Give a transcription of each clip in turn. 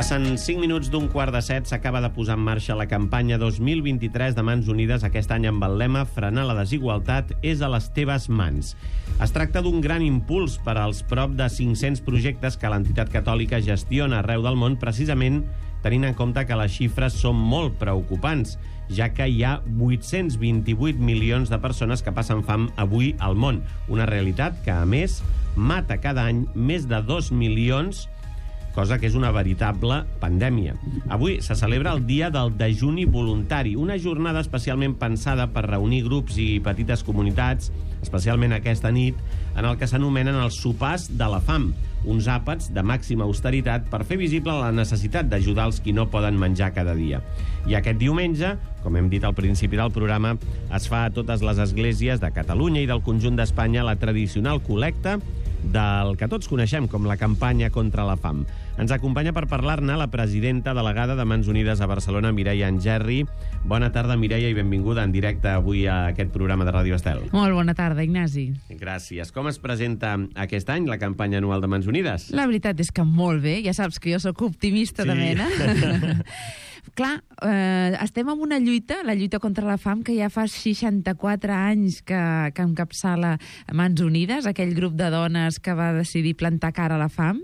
Passen 5 minuts d'un quart de 7, s'acaba de posar en marxa la campanya 2023 de Mans Unides, aquest any amb el lema "Frenar la desigualtat és a les teves mans". Es tracta d'un gran impuls per als prop de 500 projectes que l'entitat catòlica gestiona arreu del món, precisament tenint en compte que les xifres són molt preocupants, ja que hi ha 828 milions de persones que passen fam avui al món. Una realitat que, a més, mata cada any més de 2 milions, cosa que és una veritable pandèmia. Avui se celebra el Dia del Dejuni Voluntari, una jornada especialment pensada per reunir grups i petites comunitats, especialment aquesta nit, en el que s'anomenen els sopars de la fam, uns àpats de màxima austeritat per fer visible la necessitat d'ajudar els qui no poden menjar cada dia. I aquest diumenge, com hem dit al principi del programa, es fa a totes les esglésies de Catalunya i del conjunt d'Espanya la tradicional col·lecta del que tots coneixem com la campanya contra la fam. Ens acompanya per parlar-ne la presidenta delegada de Mans Unides a Barcelona, Mireia Engerri. Bona tarda, Mireia, i benvinguda en directe avui a aquest programa de Ràdio Estel. Molt bona tarda, Ignasi. Gràcies. Com es presenta aquest any la campanya anual de Mans Unides? La veritat és que molt bé. Ja saps que jo sóc optimista de mena. Clar, estem en una lluita, la lluita contra la fam, que ja fa 64 anys que encapçala Mans Unides, aquell grup de dones que va decidir plantar cara a la fam,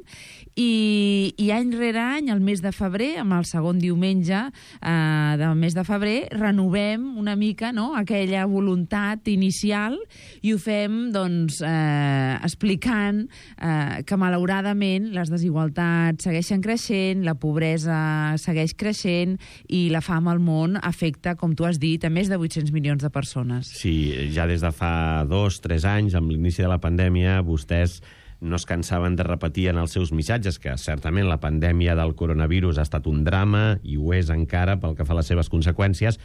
i any rere any, el mes de febrer, amb el segon diumenge del mes de febrer, renovem una mica, no?, aquella voluntat inicial, i ho fem doncs, explicant que malauradament les desigualtats segueixen creixent, la pobresa segueix creixent i la fam al món afecta, com tu has dit, a més de 800 milions de persones. Sí, ja des de fa 2-3 anys, amb l'inici de la pandèmia, vostès no es cansaven de repetir en els seus missatges que certament la pandèmia del coronavirus ha estat un drama, i ho és encara pel que fa a les seves conseqüències,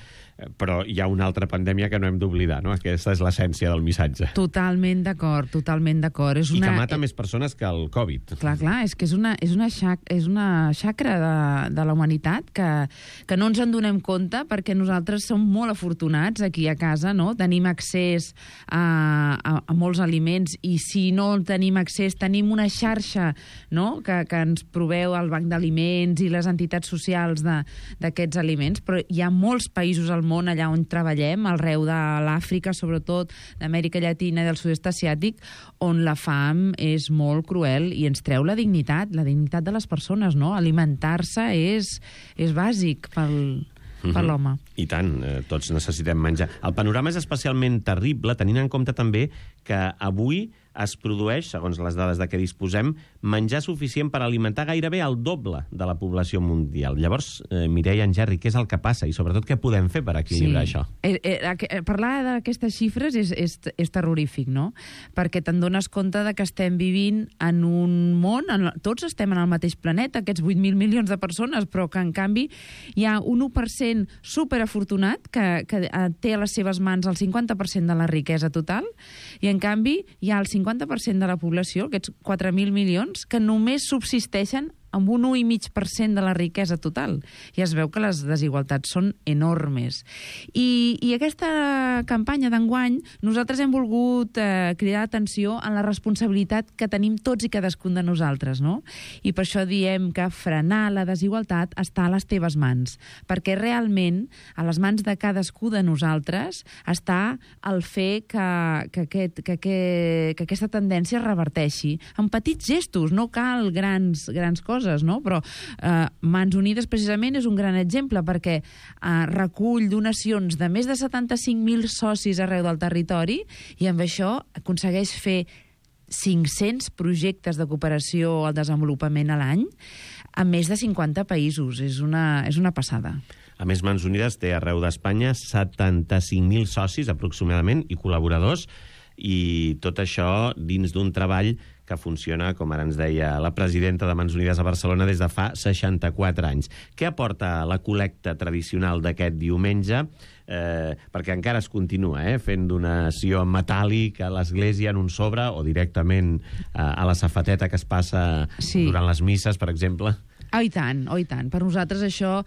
però hi ha una altra pandèmia que no hem d'oblidar, no? Aquesta és l'essència del missatge. Totalment d'acord, totalment d'acord. I que mata més persones que el Covid. Clar, és que és una xacra de la humanitat que no ens en donem compte, perquè nosaltres som molt afortunats aquí a casa, no? Tenim accés a molts aliments, i si no tenim accés, tenim una xarxa, no?, que ens proveu el Banc d'Aliments i les entitats socials d'aquests aliments, però hi ha molts països al món allà on treballem, arreu de l'Àfrica, sobretot d'Amèrica Llatina i del sud-est asiàtic, on la fam és molt cruel i ens treu la dignitat de les persones, no? Alimentar-se és bàsic per l'home. I tant, tots necessitem menjar. El panorama és especialment terrible, tenint en compte també que avui es produeix, segons les dades de què disposem, menjar suficient per alimentar gairebé el doble de la població mundial. Llavors, Mireia Engerri, què és el que passa i sobretot què podem fer per equilibrar això? Parlar d'aquestes xifres és terrorífic, no? Perquè te'n dones compte de que estem vivint en un món, tots estem en el mateix planeta, aquests 8.000 milions de persones, però que en canvi hi ha un 1% superafortunat que té a les seves mans el 50% de la riquesa total, i en canvi hi ha el 50% de la població, aquests 4.000 milions, que només subsisteixen amb un 1,5% de la riquesa total. I es veu que les desigualtats són enormes. I aquesta campanya d'enguany, nosaltres hem volgut cridar atenció en la responsabilitat que tenim tots i cadascun de nosaltres, no? I per això diem que frenar la desigualtat està a les teves mans, perquè realment a les mans de cadascú de nosaltres està el fer que aquesta tendència es reverteixi en petits gestos, no cal grans coses, no? Però Mans Unides precisament és un gran exemple, perquè recull donacions de més de 75.000 socis arreu del territori, i amb això aconsegueix fer 500 projectes de cooperació al desenvolupament a l'any a més de 50 països. És una passada. A més, Mans Unides té arreu d'Espanya 75.000 socis aproximadament i col·laboradors, i tot això dins d'un treball que funciona, com ara ens deia la presidenta de Mans Unides a Barcelona, des de fa 64 anys. Què aporta la col·lecta tradicional d'aquest diumenge? Perquè encara es continua fent donació metàl·lic a l'església en un sobre, o directament a la safateta que es passa durant les misses, per exemple. Oh, i tant, oh, i tant. Per nosaltres això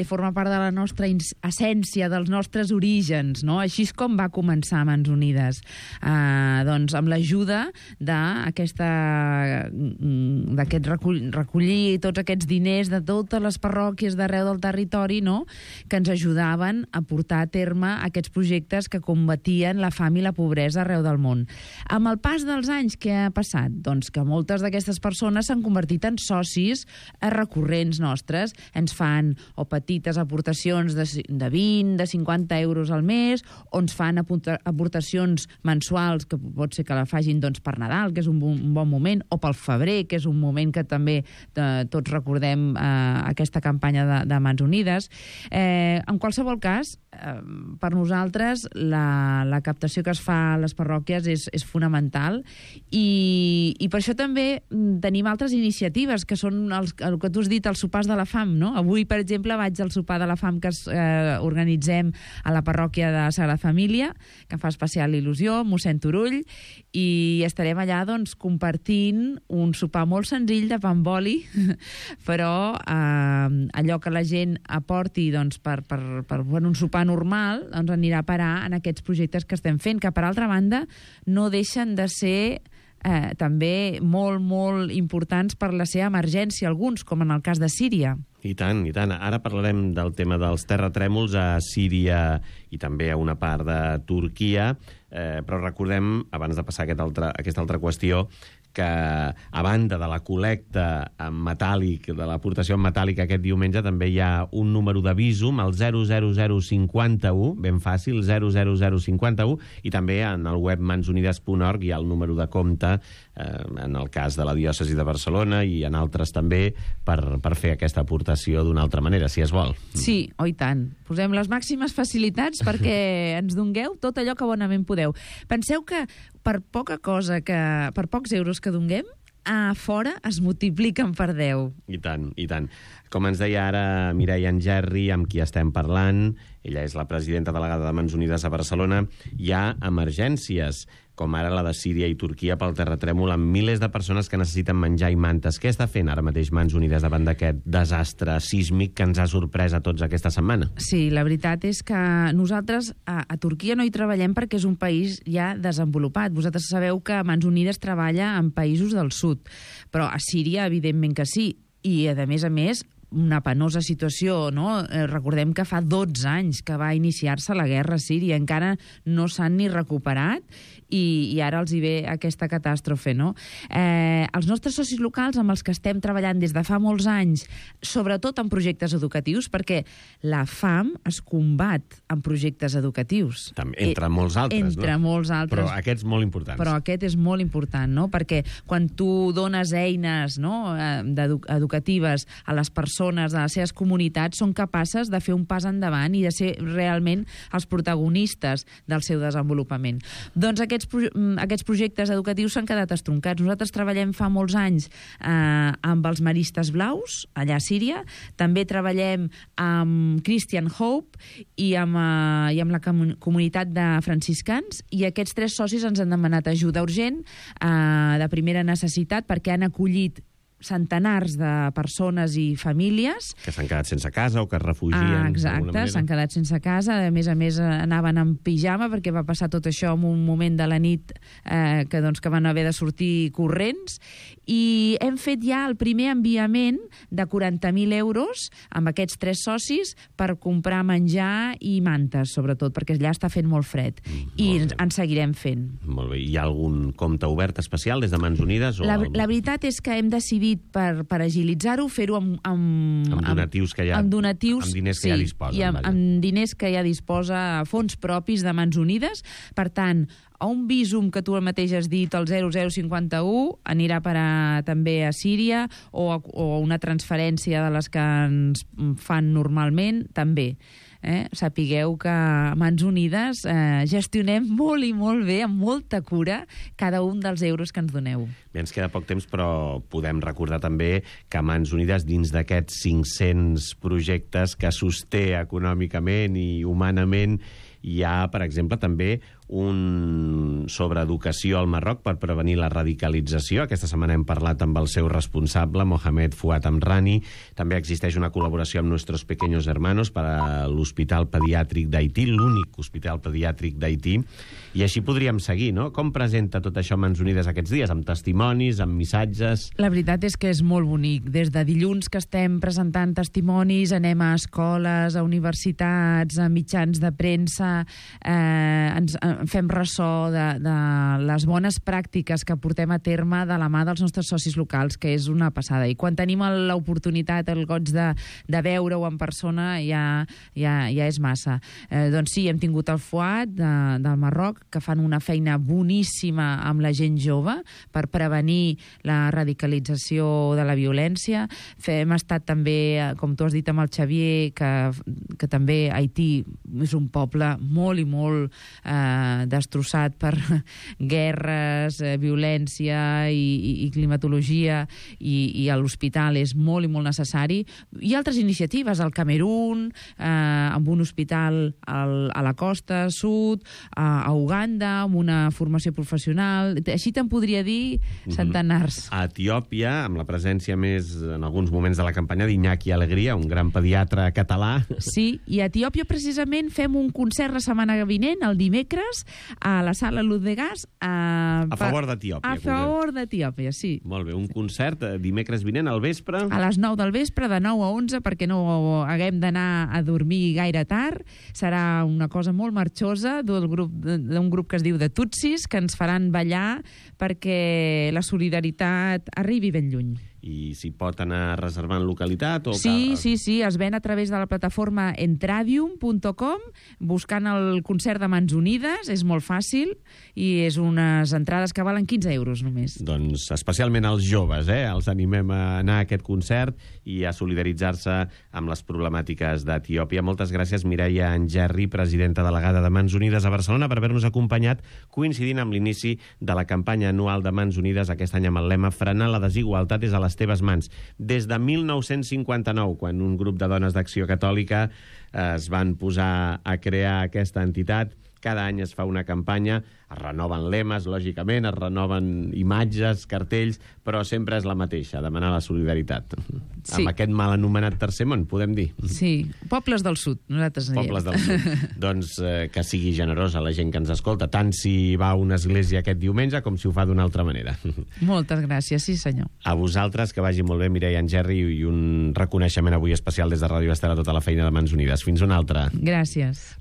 forma part de la nostra essència, dels nostres orígens, no? Així és com va començar Mans Unides. Doncs amb l'ajuda d'aquest recollir tots aquests diners de totes les parròquies d'arreu del territori, no?, que ens ajudaven a portar a terme aquests projectes que combatien la fam i la pobresa arreu del món. Amb el pas dels anys, què ha passat? Doncs que moltes d'aquestes persones s'han convertit en socis recurrents nostres. Ens fan o petites aportacions de 20, de 50 euros al mes, o ens fan aportacions mensuals, que pot ser que la facin doncs, per Nadal, que és un bon moment, o pel febrer, que és un moment que també tots recordem aquesta campanya de Mans Unides. En qualsevol cas, per nosaltres la captació que es fa a les parròquies és fonamental i per això també tenim altres iniciatives que són el que tu has dit, els sopars de la fam, no? Avui, per exemple, vaig al sopar de la fam que organitzem a la parròquia de Sagrada Família, que em fa especial il·lusió, mossèn Turull, i estarem allà doncs, compartint un sopar molt senzill de pa amb oli, però allò que la gent aporti doncs, per un sopar normal doncs, anirà a parar en aquests projectes que estem fent, que per altra banda no deixen de ser també molt, molt importants per la seva emergència, alguns, com en el cas de Síria. I tant, i tant. Ara parlarem del tema dels terratrèmols a Síria i també a una part de Turquia, però recordem, abans de passar a aquesta altra qüestió, que a banda de la col·lecta en metàl·lic, de l'aportació en metàl·lic aquest diumenge, també hi ha un número de Bizum, el 00051, ben fàcil, 00051, i també en el web mansunides.org hi ha el número de compte, en el cas de la diòcesi de Barcelona i en altres també, per fer aquesta aportació d'una altra manera, si es vol. Sí, oh i tant. Posem les màximes facilitats perquè ens dongueu tot allò que bonament podeu. Penseu que per poca cosa, per pocs euros que donguem, a fora es multipliquen per 10. I tant, i tant. Com ens deia ara Mireia Engerri, amb qui estem parlant, ella és la presidenta delegada de Mans Unides a Barcelona, hi ha emergències, com ara la de Síria i Turquia pel terratrèmol, amb milers de persones que necessiten menjar i mantes. Què està fent ara mateix Mans Unides davant d'aquest desastre sísmic que ens ha sorprès a tots aquesta setmana? Sí, la veritat és que nosaltres a Turquia no hi treballem perquè és un país ja desenvolupat. Vosaltres sabeu que Mans Unides treballa en països del sud, però a Síria evidentment que sí. I, a més, una penosa situació, no? Recordem que fa 12 anys que va iniciar-se la guerra a Síria, encara no s'han ni recuperat i ara els hi ve aquesta catàstrofe, no? Els nostres socis locals amb els que estem treballant des de fa molts anys, sobretot en projectes educatius, perquè la fam es combat en projectes educatius. Entre molts altres, entre molts altres. Però aquests molt importants. Però aquest és molt important, no? Perquè quan tu dones eines, no, educatives a les persones, a les seves comunitats, són capaces de fer un pas endavant i de ser realment els protagonistes del seu desenvolupament. Doncs aquests projectes educatius s'han quedat estroncats. Nosaltres treballem fa molts anys amb els Maristes Blaus, allà a Síria. També treballem amb Christian Hope i amb la comunitat de franciscans, i aquests 3 socis ens han demanat ajuda urgent de primera necessitat perquè han acollit centenars de persones i famílies que s'han quedat sense casa o que es refugien. Exacte, s'han quedat sense casa. A més, anaven en pijama perquè va passar tot això en un moment de la nit que van haver de sortir corrents, i hem fet ja el primer enviament de 40.000 euros amb aquests 3 socis per comprar menjar i mantes, sobretot, perquè allà està fent molt fred. I en seguirem fent. Molt bé. Hi ha algun compte obert especial des de Mans Unides? La veritat és que hem decidit per agilitzar-ho, fer-ho amb donatius que hi ha, amb donatius, amb diners que ja disposen. I amb diners que ja disposa, fons propis de Mans Unides. Per tant, a un Bizum que tu mateix has dit, el 0051, anirà a parar també a Síria, o una transferència de les que ens fan normalment, també. Sapigueu que a Mans Unides gestionem molt i molt bé, amb molta cura, cada un dels euros que ens doneu. Bé, ens queda poc temps, però podem recordar també que a Mans Unides, dins d'aquests 500 projectes que sosté econòmicament i humanament, hi ha, per exemple, també un sobre educació al Marroc per prevenir la radicalització. Aquesta setmana hem parlat amb el seu responsable, Mohamed Fouad Amrani. També existeix una col·laboració amb Nuestros Pequeños Hermanos per a l'Hospital Pediàtric d'Haití, l'únic hospital pediàtric d'Haití. I així podríem seguir, no? Com presenta tot això Mans Unides aquests dies? Amb testimonis, amb missatges? La veritat és que és molt bonic. Des de dilluns que estem presentant testimonis, anem a escoles, a universitats, a mitjans de premsa, fem ressò de les bones pràctiques que portem a terme de la mà dels nostres socis locals, que és una passada. I quan tenim l'oportunitat, el goig de veure-ho en persona, ja és massa. Doncs sí, hem tingut el Fouad del Marroc, que fan una feina boníssima amb la gent jove per prevenir la radicalització de la violència. Hem estat també, com tu has dit, amb el Xavier, que també Haití és un poble molt i molt destrossat per guerres, violència i climatologia, i l'hospital és molt i molt necessari. Hi ha altres iniciatives, al Camerún, amb un hospital a la costa sud, a Uganda, amb una formació professional. Així te'n podria dir centenars. A Etiòpia, amb la presència més, en alguns moments de la campanya, d'Iñaki Alegria, un gran pediatre català. Sí, i a Etiòpia precisament fem un concert la setmana vinent, el dimecres, a la sala Luz de Gas. A favor d'Etiòpia. A favor d'Etiòpia, sí. Molt bé, un concert dimecres vinent al vespre. A les 9 del vespre, de 9 a 11, perquè no haguem d'anar a dormir gaire tard. Serà una cosa molt marxosa d'un grup que es diu de Tutsis, que ens faran ballar perquè la solidaritat arribi ben lluny. I s'hi pot anar reservant localitat? Sí, es ven a través de la plataforma entradium.com, buscant el concert de Mans Unides, és molt fàcil, i és unes entrades que valen 15 euros només. Doncs especialment els joves, els animem a anar a aquest concert i a solidaritzar-se amb les problemàtiques d'Etiòpia. Moltes gràcies, Mireia Angerri, presidenta delegada de Mans Unides a Barcelona, per haver-nos acompanyat, coincidint amb l'inici de la campanya anual de Mans Unides, aquest any amb el lema Frenar la desigualtat és a les teves mans. Des de 1959, quan un grup de dones d'Acció Catòlica es van posar a crear aquesta entitat, cada any es fa una campanya, es renoven lemes, lògicament, es renoven imatges, cartells, però sempre és la mateixa, demanar la solidaritat. Sí. Amb aquest mal anomenat tercer món, podem dir. Sí, pobles del sud, nosaltres diem. Pobles del sud. Doncs que sigui generosa la gent que ens escolta, tant si va a una església aquest diumenge com si ho fa d'una altra manera. Moltes gràcies, sí senyor. A vosaltres, que vagi molt bé, Mireia Angerri, i un reconeixement avui especial des de Ràdio Estel a tota la feina de Mans Unides. Fins una altra. Gràcies.